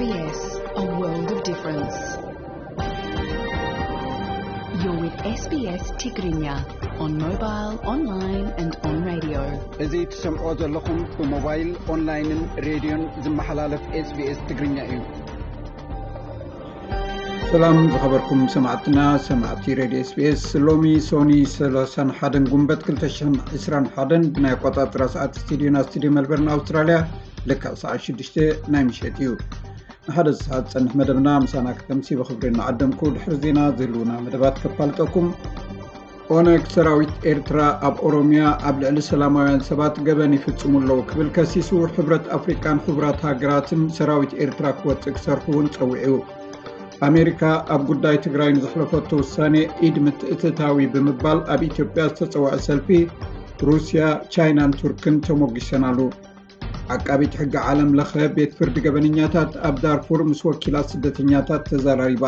S B S, a world of difference. You're with S B S Tigrinya on mobile, online and on radio. እዚ ትሰምዖ ዘለኹም ብሞባይል፣ ኦንላይንን ሬድዮን ዝመሓላለፍ S B S ትግርኛ እዩ። ሰላም ዝኸበርኩም ሰማዕትና፣ ሰማዕቲ ሬድዮ S B S። ሎሚ ሶኒ ሰላሳን ሓደን ጉንበት ክልተ ሽሕን ዕስራን ሓደን ብናይ ኣቆጻጽራ ሰዓት ስቱዲዮና፣ ስቱዲዮ ሜልበርን ኣውስትራልያ፣ ልክዕ ሰዓት ሽዱሽተ ናይ ምሸት እዩ። ንሓደ ሰዓት ዝጸንሕ መደብና ምሳና ክተምሲ ብኽብሪ እናዓደምኩ፣ ድሕሪ ዜና ዝህልውና መደባት ከፋልጠኩም። ኦነግ፣ ሰራዊት ኤርትራ ኣብ ኦሮምያ ኣብ ልዕሊ ሰላማውያን ሰባት ገበን ይፍጽሙ ኣለዉ ክብል ከሲሱ፣ ሕብረት ኣፍሪቃን ሕቡራት ሃገራትን ሰራዊት ኤርትራ ክወጽእ ክሰርሑ እውን ጸዊዑ። ኣሜሪካ ኣብ ጉዳይ ትግራይ ንዘሕለፈቶ ውሳኔ ኢድ ምትእትታዊ ብምባል ኣብ ኢትዮጵያ ዝተጸውዐ ሰልፊ ሩስያ፣ ቻይናን ቱርክን ተሞጊሰናሉ። ዓቃቢት ሕጊ ዓለም ለኸ ቤት ፍርዲ ገበነኛታት ኣብ ዳርፉር ምስ ወኪላት ስደተኛታት ተዘራሪባ።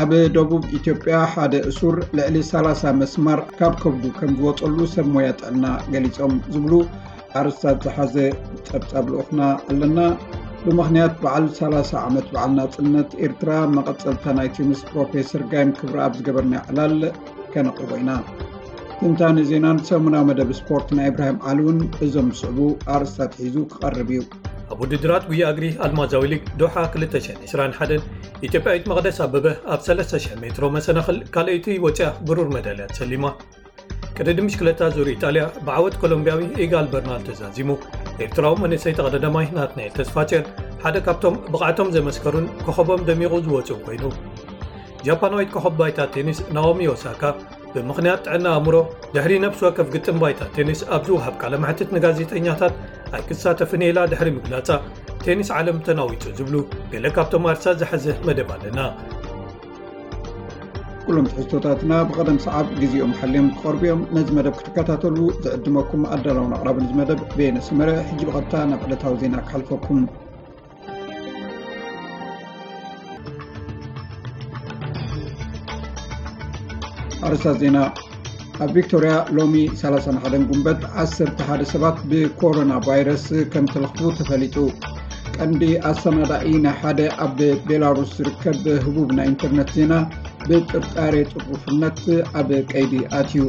ኣብ ደቡብ ኢትዮጵያ ሓደ እሱር ልዕሊ ሰላሳ መስማር ካብ ከብዱ ከም ዝወጸሉ ሰብ ሞያ ጥዕና ገሊጾም ዝብሉ ኣርእስታት ዝሓዘ ጸብጻብ ልኡኽና ኣለና። ብምኽንያት በዓል ሰላሳ ዓመት በዓል ናጽነት ኤርትራ፣ መቐጸልታ ናይቲ ምስ ፕሮፌሰር ጋይም ክብረኣብ ዝገበርናዮ ዕላል ከነቕርቦ ኢና። ትንታነ ዜናን ሰሙናዊ መደብ ስፖርት ናይ ኢብራሂም ዓሊ እውን እዞም ዝስዕቡ ኣርእስታት ሒዙ ክቐርብ እዩ። ኣብ ውድድራት ጉያ እግሪ ኣልማዛዊ ሊግ ዶሓ ክልተ ሽሕን ዕስራን ሓደን፣ ኢትዮጵያዊት መቕደስ ኣበበ ኣብ ሰለስተ ሽሕ ሜትሮ መሰናኽል ካልኣይቲ ወፂኣ ብሩር መዳልያ ተሰሊማ። ቅድድም ብሽክለታ ዙር ኢጣልያ ብዓወት ኮሎምቢያዊ ኢጋል በርናል ተዛዚሙ። ኤርትራዊ መንእሰይ ተቐዳዳማይ ናትናኤል ተስፋጽዮን ሓደ ካብቶም ብቕዓቶም ዘመስከሩን ኮኸቦም ደሚቑ ዝወፅኡ ኮይኑ። ጃፓናዊት ኮኸብ ባይታ ቴኒስ ናኦሚ ኦሳካ ብምኽንያት ጥዕና ኣእምሮ ድሕሪ ነፍሲ ወከፍ ግጥም ባይታ ቴኒስ ኣብ ዝወሃብ ቃለ መሕትት ንጋዜጠኛታት ኣይክሳተፍን እየ ኢላ ድሕሪ ምግላጻ፣ ቴኒስ ዓለም ተናዊጹ ዝብሉ ገለ ካብቶም ኣርእስታት ዝሓዘ መደብ ኣለና። ኩሎም ትሕዝቶታትና ብቐደም ሰዓብ ግዜኦም ሓልዮም ክቐርቡ እዮም። ነዚ መደብ ክትከታተሉ ዝዕድመኩም ኣዳላውን ኣቕራብን እዚ መደብ በየነ ሰመረ። ሕጂ ብቐጥታ ናብ ዕለታዊ ዜና ክሓልፈኩም። ኣርእስታት ዜና። ኣብ ቪክቶርያ ሎሚ ሰላሳን ሓደን ጉንበት ዓሰርተ ሓደ ሰባት ብኮሮና ቫይረስ ከም ተለኽፉ ተፈሊጡ። ቀንዲ ኣሰናዳኢ ናይ ሓደ ኣብ ቤላሩስ ዝርከብ ህቡብ ናይ ኢንተርነት ዜና ብጥርጣሬ ጥርጡፍነት ኣብ ቀይዲ ኣትዩ።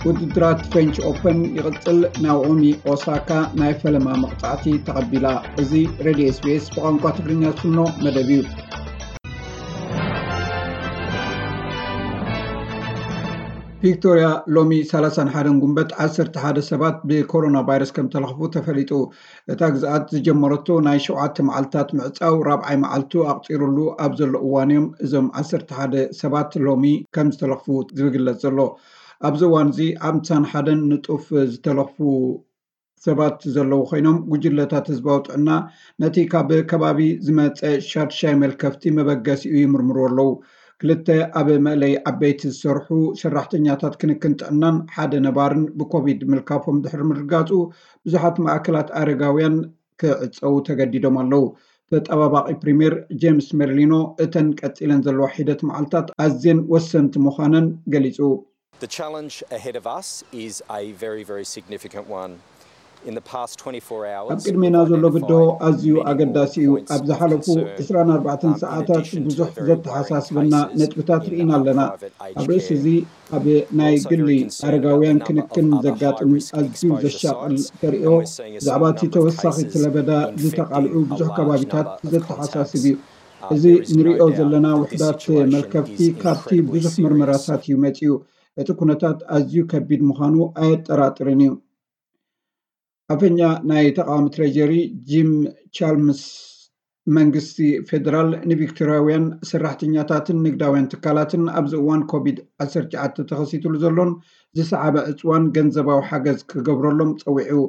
ውድድራት ፍሬንች ኦፐን ይቕጽል። ናኦሚ ኦሳካ ናይ ፈለማ መቕጻዕቲ ተቐቢላ። እዚ ሬድዮ S B S ብቋንቋ ትግርኛ ዝፍኖ መደብ እዩ። ቪክቶርያ ሎሚ ሰላሳን ሓደን ጉንበት ዓሰርተ ሓደ ሰባት ብኮሮና ቫይረስ ከም ተለኽፉ ተፈሊጡ። እታ ግዝኣት ዝጀመረቶ ናይ ሸውዓተ መዓልታት ምዕጻው ራብዓይ መዓልቱ ኣቕጺሩሉ ኣብ ዘሎ እዋን እዮም እዞም ዓሰርተ ሓደ ሰባት ሎሚ ከም ዝተለኽፉ ዝግለጽ ዘሎ። ኣብዚ እዋን እዚ ሓምሳን ሓደን ንጡፍ ዝተለኽፉ ሰባት ዘለዉ ኮይኖም፣ ጉጅለታት ህዝባዊ ጥዕና ነቲ ካብ ከባቢ ዝመጸ ሻድሻይ መልከፍቲ መበገሲኡ ይምርምሩ ኣለዉ። ክልተ ኣብ መእለይ ዓበይቲ ዝሰርሑ ሰራሕተኛታት ክንክን ጥዕናን ሓደ ነባርን ብኮቪድ ምልካፎም ድሕሪ ምርጋጹ፣ ብዙሓት ማእከላት ኣረጋውያን ክዕጸዉ ተገዲዶም ኣለዉ። ተጠባባቒ ፕሪምየር ጄምስ ሜርሊኖ፣ እተን ቀጺለን ዘለዋ ሒደት መዓልታት ኣዝየን ወሰንቲ ምዃነን ገሊጹ። The challenge ahead of us is a very, very significant one. In the past twenty-four hours, ኣብ ቅድሜና ዘሎ ብድሆ ኣዝዩ ኣገዳሲ እዩ። ኣብ ዝሓለፉ ዕስራን ኣርባዕተን ሰዓታት ብዙሕ ዘተሓሳስበና ነጥብታት ርኢና ኣለና። ኣብ ርእሲ እዚ፣ ኣብ ናይ ግሊ ኣረጋውያን ክንክን ዘጋጥም ኣዝዩ ዘሻቕል ተርእዮ፣ ብዛዕባ እቲ ተወሳኺ ለበዳ ዝተቓልዑ ብዙሕ ከባቢታት ዘተሓሳስብ እዩ። እዚ ንሪኦ ዘለና ውሕዳት መልከፍቲ ካብቲ ብዙሕ ምርመራታት እዩ መጺኡ። እቲ ኩነታት ኣዝዩ ከቢድ ምዃኑ ኣየጠራጥርን እዩ። ኣፈኛ ናይ ተቓዋሚ ትሬጀሪ ጂም ቻልምስ፣ መንግስቲ ፌደራል ንቪክቶርያውያን ሰራሕተኛታትን ንግዳውያን ትካላትን ኣብዚ እዋን ኮቪድ ዓሰርተ ትሽዓተ ተኸሲትሉ ዘሎን ዝሰዓበ ዕጽዋን ገንዘባዊ ሓገዝ ክገብረሎም ጸዊዑ።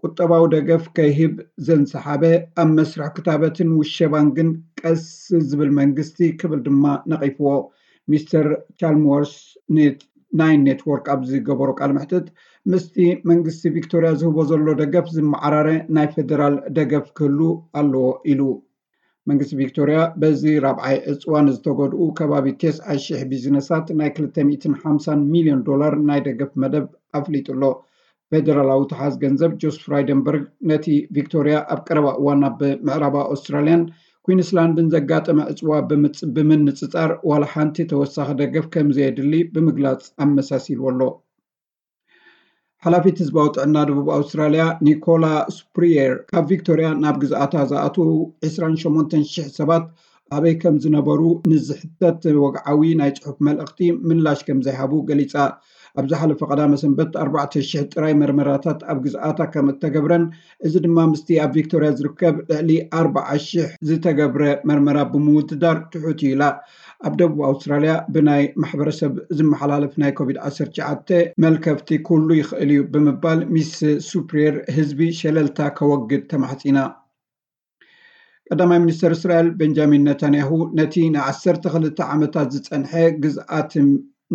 ቁጠባዊ ደገፍ ከይህብ ዘንሰሓበ፣ ኣብ መስርሕ ክታበትን ውሸባን ግን ቀስ ዝብል መንግስቲ ክብል ድማ ነቒፍዎ። ሚስተር ቻልምወርስ ኔት-፣ ናይን ኔትወርክ ኣብ ዝገበሮ ቃለ መሕትት፣ ምስቲ መንግስቲ ቪክቶርያ ዝህቦ ዘሎ ደገፍ ዝመዓራረ ናይ ፌደራል ደገፍ ክህሉ ኣለዎ ኢሉ። መንግስቲ ቪክቶርያ በዚ ራብዓይ ዕጽዋን ዝተጎድኡ ከባቢ ተስዓ ሽሕ ቢዝነሳት ናይ ክልተ ሚእትን ሓምሳን ሚልዮን ዶላር ናይ ደገፍ መደብ ኣፍሊጡ ኣሎ። ፌደራላዊ ተሓዝ ገንዘብ ጆስ ፍራይደንበርግ ነቲ ቪክቶርያ ኣብ ቀረባ እዋን ናብ ምዕራባ ኣውስትራልያን ኩዊንስላንድን ዘጋጠመ ዕፅዋ ብምንፅፃር ዋላ ሓንቲ ተወሳኺ ደገፍ ከም ዘየድሊ ብምግላፅ ኣመሳሲልዎ ኣሎ። ሓላፊት ህዝባዊ ጥዕና ደቡብ ኣውስትራልያ ኒኮላ ስፕሪየር፣ ካብ ቪክቶርያ ናብ ግዝኣታ ዝኣትዉ ዕስራን ሸሞንተን ሽሕ ሰባት ኣበይ ከም ዝነበሩ ንዝሕተት ወግዓዊ ናይ ጽሑፍ መልእኽቲ ምላሽ ከም ዘይሃቡ ገሊጻ። ኣብ ዝሓለፈ ቀዳመ ሰንበት ኣርባዕተ ሽሕ ጥራይ መርመራታት ኣብ ግዝኣታ ከም እተገብረን፣ እዚ ድማ ምስቲ ኣብ ቪክቶርያ ዝርከብ ልዕሊ ኣርባዓ ሽሕ ዝተገብረ መርመራ ብምውድዳር ትሑት እዩ ኢላ። ኣብ ደቡብ ኣውስትራልያ ብናይ ማሕበረሰብ ዝመሓላለፍ ናይ ኮቪድ ዓሰርተ ትሽዓተ መልከፍቲ ክህሉ ይኽእል እዩ ብምባል ሚስ ሱፕሪየር ህዝቢ ሸለልታ ከወግድ ተማሕጺና። ቀዳማይ ሚኒስተር እስራኤል ቤንጃሚን ነታንያሁ ነቲ ንዓሰርተ ክልተ ዓመታት ዝጸንሐ ግዝኣት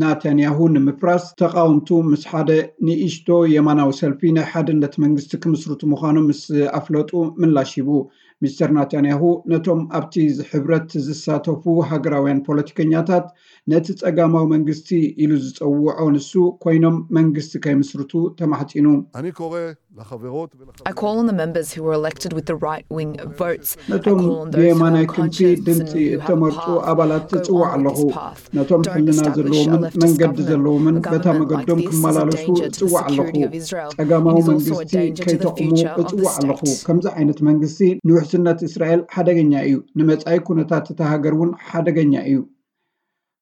ናታንያሁ ንምፍራስ ተቓወምቱ ምስ ሓደ ንእሽቶ የማናዊ ሰልፊ ናይ ሓድነት መንግስቲ ክምስርቱ ምዃኖም ምስ ኣፍለጡ ምላሽ ሂቡ። ሚስተር ናታንያሁ ነቶም ኣብቲ ሕብረት ዝሳተፉ ሃገራውያን ፖለቲከኛታት ነቲ ጸጋማዊ መንግስቲ ኢሉ ዝጸውዖ ንሱ ኮይኖም መንግስቲ ከይምስርቱ ተማሕጺኑ። אני קורא לחברות I call on the members who were elected with the right wing votes. I ነቶም call on those who ብየማናይ have ክንፊ conscience ድምፂ and who have a እተመርፁ path. ኣባላት Go እፅዋዕ on with ኣለኹ። this path. ነቶም Don't ሕልና establish a ዘለዎምን leftist መንገዲ government. ዘለዎምን A በታ government like መገዶም this is a ክመላለሱ danger to the እፅዋዕ ኣለኹ። security of Israel. It ጸጋማዊ is also a መንግስቲ danger to the ከይተቕሙ future of the እፅዋዕ ኣለኹ። state. ከምዚ ዓይነት መንግስቲ ንውሕስነት እስራኤል ሓደገኛ እዩ፣ ንመጻኢ ኩነታት እታ ሃገር እውን ሓደገኛ እዩ።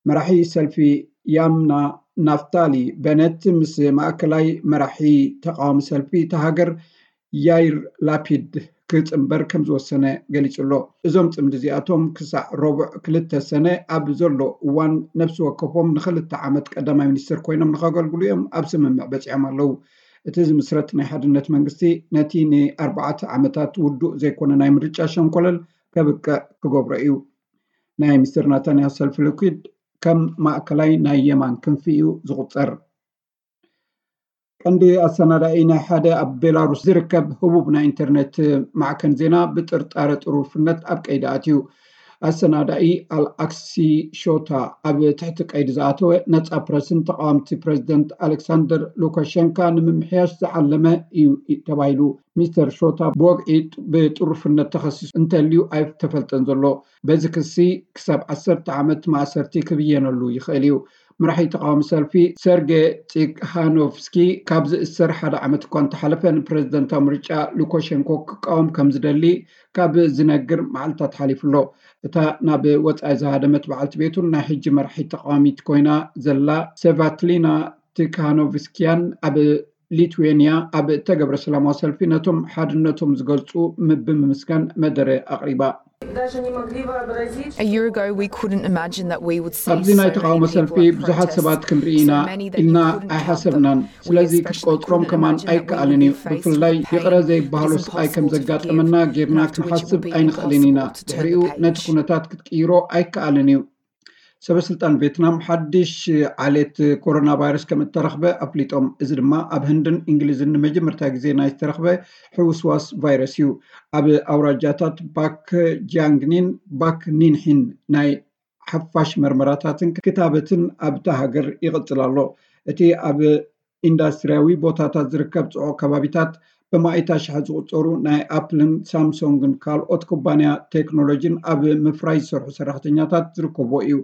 መራሒ ሰልፊ ያምና ናፍታሊ በነት ምስ ማእከላይ መራሒ ተቃዋሚ ሰልፊ እታ ሃገር ያይር ላፒድ ክጽንበር ከም ዝወሰነ ገሊጹ ኣሎ። እዞም ጽምዲ እዚኣቶም ክሳዕ ረቡዕ ክልተ ሰነ ኣብ ዘሎ እዋን ነፍሲ ወከፎም ንኽልተ ዓመት ቀዳማይ ሚኒስትር ኮይኖም ንኸገልግሉ እዮም ኣብ ስምምዕ በጺሖም ኣለዉ። እቲ ዝምስረት ናይ ሓድነት መንግስቲ ነቲ ንኣርባዕተ ዓመታት ውዱእ ዘይኮነ ናይ ምርጫ ሸንኮለል ከብቅዕ ክገብሮ እዩ። ናይ ሚስተር ናታንያሁ ሰልፊ ሊኩድ ከም ማእከላይ ናይ የማን ክንፊ እዩ ዝቑጸር። ቀንዲ ኣሰናዳኢ ናይ ሓደ ኣብ ቤላሩስ ዝርከብ ህቡብ ናይ ኢንተርነት ማዕከን ዜና ብጥርጣረ ጥሩፍነት ኣብ ቀይዲ ኣትዩ። ኣሰናዳኢ ኣልኣክሲ ሾታ ኣብ ትሕቲ ቀይዲ ዝኣተወ ነጻ ፕረስን ተቃወምቲ ፕረዚደንት ኣሌክሳንደር ሉካሸንካ ንምምሕያሽ ዝዓለመ እዩ ተባሂሉ። ሚስተር ሾታ ብወግዒ ብጥሩፍነት ተኸሲሱ እንተልዩ ኣይተፈልጠን ዘሎ። በዚ ክሲ ክሳብ ዓሰርተ ዓመት ማእሰርቲ ክብየነሉ ይኽእል እዩ። መራሒ ተቃዋሚ ሰልፊ ሰርጌ ፂክሃኖቭስኪ ካብ ዝእሰር ሓደ ዓመት እኳ እንተሓለፈ ንፕረዚደንታዊ ምርጫ ሉካሸንኮ ክቃወም ከም ዝደሊ ካብ ዝነግር መዓልታት ሓሊፉ ኣሎ። እታ ናብ ወጻኢ ዝሃደመት በዓልቲ ቤቱን ናይ ሕጂ መራሒት ተቃዋሚት ኮይና ዘላ ሰቫትሊና ቲካኖቭስኪያን ኣብ ሊትዌንያ ኣብ እተገብረ ሰላማዊ ሰልፊ ነቶም ሓድነቶም ዝገልጹ ብምምስጋን መደረ ኣቕሪባ። A year ago, we couldn't imagine that we would see ኣብዚ ናይ ተቃውሞ ሰልፊ ብዙሓት ሰባት ክንርኢ ኢና ኢልና ኣይሓሰብናን። ስለዚ ክትቆጽሮም ከማን ኣይከኣልን እዩ። ብፍላይ ይቕረ ዘይበሃሎ ስቓይ ከም ዘጋጠመና ጌርና ክንሓስብ ኣይንኽእልን ኢና። ድሕሪኡ ነቲ ኩነታት ክትቅይሮ ኣይከኣልን እዩ። ሰበስልጣን ቬትናም ሓድሽ ዓሌት ኮሮና ቫይረስ ከም እተረኽበ ኣፍሊጦም። እዚ ድማ ኣብ ህንድን እንግሊዝን ንመጀመርታ ግዜ ናይ ዝተረኽበ ሕውስዋስ ቫይረስ እዩ። ኣብ ኣውራጃታት ባክ ጃንግኒን ባክ ኒንሒን ናይ ሓፋሽ መርመራታትን ክታበትን ኣብታ ሃገር ይቕጽል ኣሎ። እቲ ኣብ ኢንዳስትሪያዊ ቦታታት ዝርከብ ጽዑቕ ከባቢታት ብማእታ ሽሓት ዝቑጸሩ ናይ ኣፕልን ሳምሶንግን ካልኦት ኩባንያ ቴክኖሎጂን ኣብ ምፍራይ ዝሰርሑ ሰራሕተኛታት ዝርከብዎ እዩ።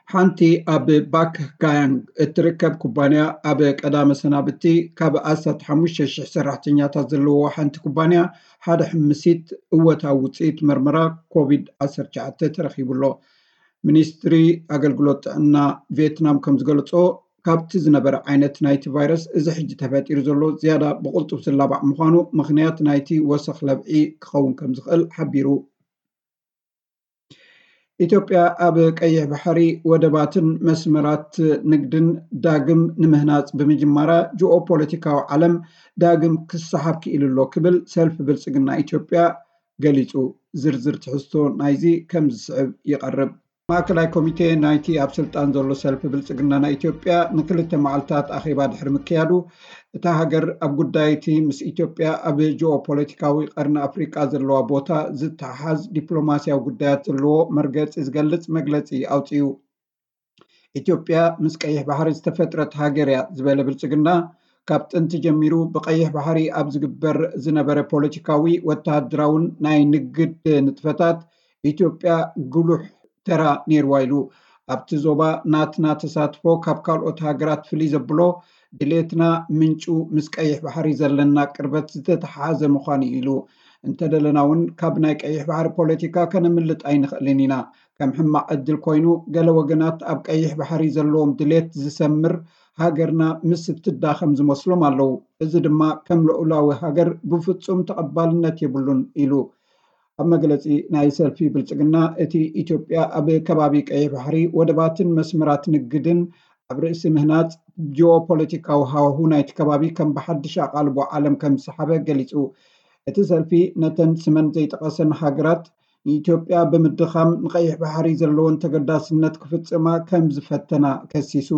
ሓንቲ ኣብ ባክ ጋያንግ እትርከብ ኩባንያ ኣብ ቀዳመ ሰናብቲ ካብ ኣስታት ሓሙሽተ ሽሕ ሰራሕተኛታት ዘለውዎ ሓንቲ ኩባንያ ሓደ ሕምሲት እወታዊ ውፅኢት መርመራ ኮቪድ ዓሰርተ ትሽዓተ ተረኺቡ ኣሎ። ሚኒስትሪ ኣገልግሎት ጥዕና ቬትናም ከም ዝገለጾ ካብቲ ዝነበረ ዓይነት ናይቲ ቫይረስ እዚ ሕጂ ተፈጢሩ ዘሎ ዝያዳ ብቕልጡፍ ዝላባዕ ምዃኑ ምኽንያት ናይቲ ወሰኽ ለብዒ ክኸውን ከም ዝኽእል ሓቢሩ። ኢትዮጵያ ኣብ ቀይሕ ባሕሪ ወደባትን መስመራት ንግድን ዳግም ንምህናጽ ብምጅማራ ጂኦ ፖለቲካዊ ዓለም ዳግም ክሰሓብ ክኢሉ ኣሎ ክብል ሰልፊ ብልጽግና ኢትዮጵያ ገሊጹ። ዝርዝር ትሕዝቶ ናይዚ ከም ዝስዕብ ይቐርብ። ማእከላይ ኮሚቴ ናይቲ ኣብ ስልጣን ዘሎ ሰልፊ ብልጽግና ናይ ኢትዮጵያ ንክልተ መዓልታት ኣኼባ ድሕሪ ምክያዱ፣ እታ ሃገር ኣብ ጉዳይ እቲ ምስ ኢትዮጵያ ኣብ ጂኦ ፖለቲካዊ ቀርኒ ኣፍሪቃ ዘለዋ ቦታ ዝተሓሓዝ ዲፕሎማስያዊ ጉዳያት ዘለዎ መርገጺ ዝገልጽ መግለጺ ኣውጺኡ። ኢትዮጵያ ምስ ቀይሕ ባሕሪ ዝተፈጥረት ሃገር እያ ዝበለ ብልጽግና፣ ካብ ጥንቲ ጀሚሩ ብቀይሕ ባሕሪ ኣብ ዝግበር ዝነበረ ፖለቲካዊ፣ ወተሃደራውን ናይ ንግድ ንጥፈታት ኢትዮጵያ ጉሉሕ ተራ ነይርዋ ኢሉ። ኣብቲ ዞባ ናትና ተሳትፎ ካብ ካልኦት ሃገራት ፍልይ ዘብሎ ድሌትና ምንጩ ምስ ቀይሕ ባሕሪ ዘለና ቅርበት ዝተተሓሓዘ ምዃኑ እዩ ኢሉ። እንተደለና እውን ካብ ናይ ቀይሕ ባሕሪ ፖለቲካ ከነምልጥ ኣይንኽእልን ኢና። ከም ሕማቕ ዕድል ኮይኑ ገለ ወገናት ኣብ ቀይሕ ባሕሪ ዘለዎም ድሌት ዝሰምር ሃገርና ምስ እትዳኸም ዝመስሎም ኣለዉ። እዚ ድማ ከም ልኡላዊ ሃገር ብፍጹም ተቐባልነት የብሉን ኢሉ። ኣብ መግለጺ ናይ ሰልፊ ብልጽግና እቲ ኢትዮጵያ ኣብ ከባቢ ቀይሕ ባሕሪ ወደባትን መስመራት ንግድን ኣብ ርእሲ ምህናጽ ጂኦፖለቲካዊ ሃዋሁ ናይቲ ከባቢ ከም ብሓድሽ ኣቓልቦ ዓለም ከም ዝሰሓበ ገሊጹ። እቲ ሰልፊ ነተን ስመን ዘይጠቐሰን ሃገራት ንኢትዮጵያ ብምድኻም ንቐይሕ ባሕሪ ዘለወን ተገዳስነት ክፍጽማ ከም ዝፈተና ከሲሱ።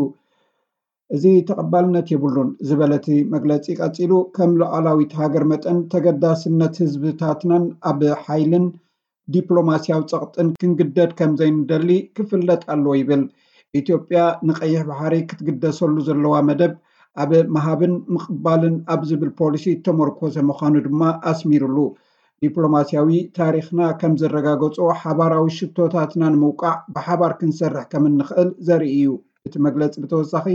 እዚ ተቐባልነት የብሉን ዝበለ እቲ መግለጺ ቀጺሉ፣ ከም ሉዓላዊት ሃገር መጠን ተገዳስነት ህዝብታትናን ኣብ ሓይልን ዲፕሎማስያዊ ጸቕጥን ክንግደድ ከም ዘይንደሊ ክፍለጥ ኣለዎ ይብል። ኢትዮጵያ ንቐይሕ ባሕሪ ክትግደሰሉ ዘለዋ መደብ ኣብ ምሃብን ምቕባልን ኣብ ዝብል ፖሊሲ እተመርኮሰ ምዃኑ ድማ ኣስሚሩሉ። ዲፕሎማስያዊ ታሪኽና ከም ዘረጋገጾ ሓባራዊ ሽቶታትና ንምውቃዕ ብሓባር ክንሰርሕ ከም እንኽእል ዘርኢ እዩ። እቲ መግለጺ ብተወሳኺ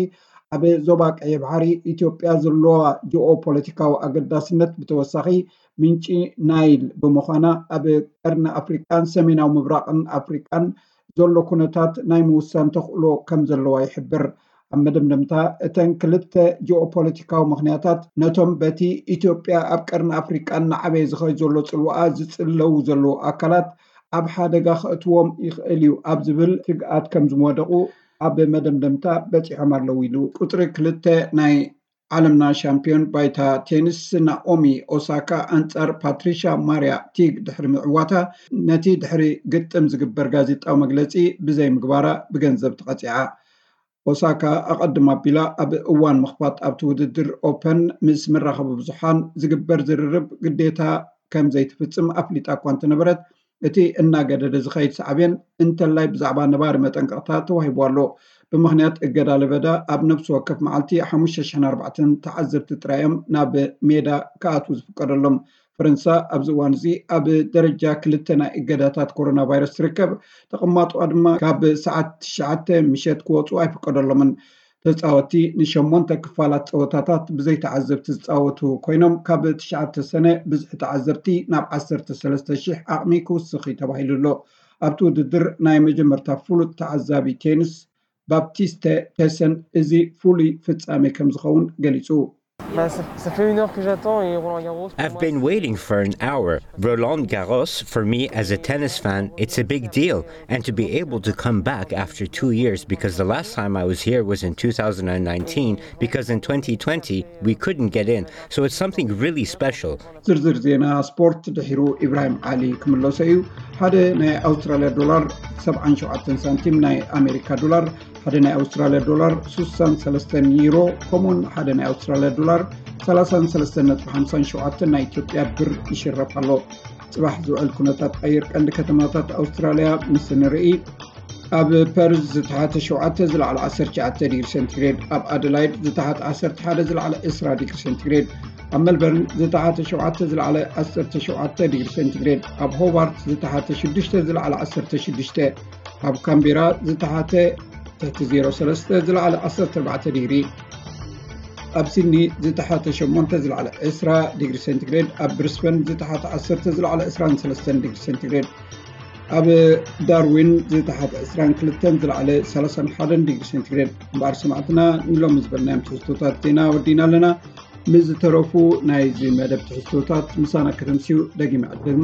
ኣብ ዞባ ቀይሕ ባሕሪ ኢትዮጵያ ዘለዋ ጂኦፖለቲካዊ ኣገዳስነት ብተወሳኺ ምንጪ ናይል ብምዃና ኣብ ቀርኒ ኣፍሪቃን ሰሜናዊ ምብራቕን ኣፍሪቃን ዘሎ ኩነታት ናይ ምውሳን ተኽእሎ ከም ዘለዋ ይሕብር። ኣብ መደምደምታ እተን ክልተ ጂኦፖለቲካዊ ምኽንያታት ነቶም በቲ ኢትዮጵያ ኣብ ቀርኒ ኣፍሪቃ እናዓበየ ዝኸይ ዘሎ ጽልዋኣ ዝጽለዉ ዘለዉ ኣካላት ኣብ ሓደጋ ከእትዎም ይኽእል እዩ ኣብ ዝብል ስግኣት ከም ዝወደቑ ኣብ መደምደምታ በጺሖም ኣለዉ ኢሉ። ቁጽሪ ክልተ ናይ ዓለምና ሻምፒዮን ባይታ ቴኒስ ናኦሚ ኦሳካ ኣንጻር ፓትሪሻ ማርያ ቲግ ድሕሪ ምዕዋታ ነቲ ድሕሪ ግጥም ዝግበር ጋዜጣዊ መግለጺ ብዘይ ምግባራ ብገንዘብ ተቐጺዓ። ኦሳካ ኣቐድም ኣቢላ ኣብ እዋን ምኽፋት ኣብቲ ውድድር ኦፐን ምስ መራኸቢ ብዙሓን ዝግበር ዝርርብ ግዴታ ከም ዘይትፍጽም ኣፍሊጣ እኳ እንተነበረት፣ እቲ እናገደደ ዝኸይድ ሳዕቤን እንተላይ ብዛዕባ ነባሪ መጠንቀቕታ ተዋሂቡ ኣሎ። ብምኽንያት እገዳ ለበዳ ኣብ ነፍሲ ወከፍ መዓልቲ ሓሙሽተ ሽሕን ኣርባዕተን ተዓዘብቲ ጥራይ እዮም ናብ ሜዳ ክኣትዉ ዝፍቀደሎም። ፈረንሳ ኣብዚ እዋን እዚ ኣብ ደረጃ ክልተ ናይ እገዳታት ኮሮና ቫይረስ ትርከብ። ተቐማጦኣ ድማ ካብ ሰዓት ትሽዓተ ምሸት ክወፁ ኣይፍቀደሎምን። ተፃወትቲ ንሸሞንተ ክፋላት ፀወታታት ብዘይ ተዓዘብቲ ዝፃወቱ ኮይኖም፣ ካብ ትሽዓተ ሰነ ብዝሒ ተዓዘብቲ ናብ ዓሰርተ ሰለስተ ሺሕ ዓቕሚ ክውስኽ እዩ ተባሂሉ ኣሎ። ኣብቲ ውድድር ናይ መጀመርታ ፍሉጥ ተዓዛቢ ቴኒስ ባፕቲስተ ቴሰን እዚ ፍሉይ ፍጻሜ ከም ዝኸውን ገሊጹ። Bah, ça, ça fait une heure que j'attends et Roland Garros. Pour I've moi, been waiting for an hour. Roland Garros, for me as a tennis fan, it's a big deal. And to be able to come back after two years, because the last time I was here was in two thousand nineteen, because in twenty twenty, we couldn't get in. So it's something really special. ዝርዝር ዜና ስፖርት ድሒሩ ኢብራሂም ዓሊ ክምለሶ እዩ። ሓደ ናይ ኣውስትራልያ ዶላር ሰብዓን ሸውዓተን ሳንቲም፣ ናይ ኣሜሪካ ዶላር ሓደ ናይ ኣውስትራልያ ዶላር ሱሳን ሰለስተን ዩሮ፣ ከምኡውን ሓደ ናይ ኣውስትራልያ ዶላር ሰላሳን ሰለስተን ነጥቢ ሓምሳን ሸውዓተን ናይ ኢትዮጵያ ብር ይሽረፍ ኣሎ። ጽባሕ ዝውዕል ኩነታት ኣየር ቀንዲ ከተማታት ኣውስትራልያ ምስ ንርኢ፣ ኣብ ፐርዝ ዝተሓተ ሸውዓተ ዝለዓለ ዓሰርተ ትሽዓተ ዲግሪ ሴንቲግሬድ፣ ኣብ ኣደላይድ ዝተሓተ ዓሰርተ ሓደ ዝለዓለ ዕስራ ዲግሪ ሴንቲግሬድ፣ ኣብ መልበርን ዝተሓተ ሸውዓተ ዝለዓለ ዓሰርተ ሸውዓተ ዲግሪ ሴንቲግሬድ፣ ኣብ ሆባርት ዝተሓተ ሽዱሽተ ዝለዓለ ዓሰርተ ሽዱሽተ፣ ኣብ ካምቤራ ዝተሓተ ትሕቲ ዜሮ ሰለስተ ዝለዓለ ዓሰርተ ኣርባዕተ ዲግሪ፣ ኣብ ሲድኒ ዝተሓተ ሸሞንተ ዝለዓለ ዕስራ ዲግሪ ሴንቲግሬድ፣ ኣብ ብሪስበን ዝተሓተ ዓሰርተ ዝለዓለ ዕስራን ሰለስተን ዲግሪ ሴንቲግሬድ፣ ኣብ ዳርዊን ዝተሓተ ዕስራን ክልተን ዝለዓለ ሰላሳን ሓደን ዲግሪ ሴንቲግሬድ። እምበኣር ሰማዕትና ንሎሚ ዝበልናዮም ትሕዝቶታት ዜና ወዲና ኣለና። ምስ ዝተረፉ ናይዚ መደብ ትሕዝቶታት ምሳና ከተምስዩ ደጊመ ዕድም።